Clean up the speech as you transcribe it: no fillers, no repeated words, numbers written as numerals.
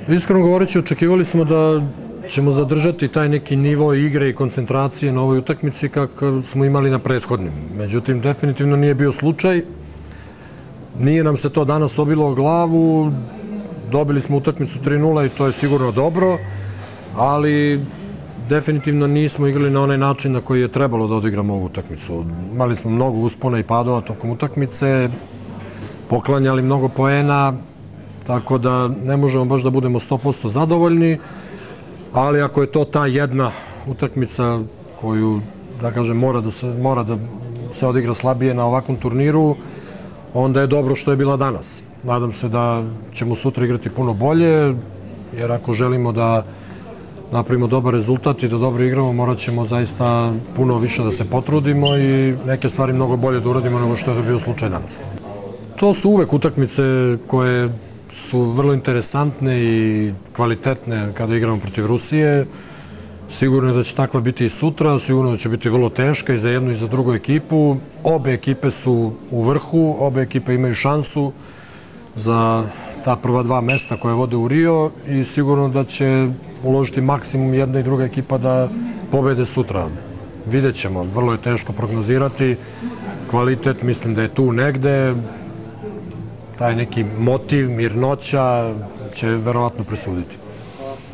Iskreno govoreći, očekivali smo da ćemo zadržati taj neki nivo igre i koncentracije na ovoj utakmici kako smo imali na prethodnim. Međutim, definitivno nije bio slučaj. Nije nam se to danas obilo o glavu. Dobili smo utakmicu 3:0 i to je sigurno dobro, ali definitivno nismo igrali na onaj način na koji je trebalo da odigramo ovu utakmicu. Imali smo mnogo uspona i padova tokom utakmice, poklanjali mnogo poena, tako da ne možemo baš da budemo 100% zadovoljni, ali ako je to ta jedna utakmica koju, da kažem, mora da se odigra slabije na ovakvom turniru, onda je dobro što je bila danas. Nadam se da ćemo sutra igrati puno bolje, jer ako želimo da napravimo dobar rezultat i da dobro igramo, morat ćemo zaista puno više da se potrudimo i neke stvari mnogo bolje da uradimo nego što je bio slučaj danas. To su uvek utakmice koje su vrlo interesantne i kvalitetne kada igramo protiv Rusije. Sigurno je da će takva biti i sutra, sigurno da će biti vrlo teška i za jednu i za drugu ekipu. Obe ekipe su u vrhu, obe ekipe imaju šansu za ta prva dva mesta koje vode u Rio i sigurno da će uložiti maksimum jedna i druga ekipa da pobede sutra. Vidjet ćemo, vrlo je teško prognozirati. Kvalitet mislim da je tu negde, taj neki motiv, mirnoća će verovatno presuditi.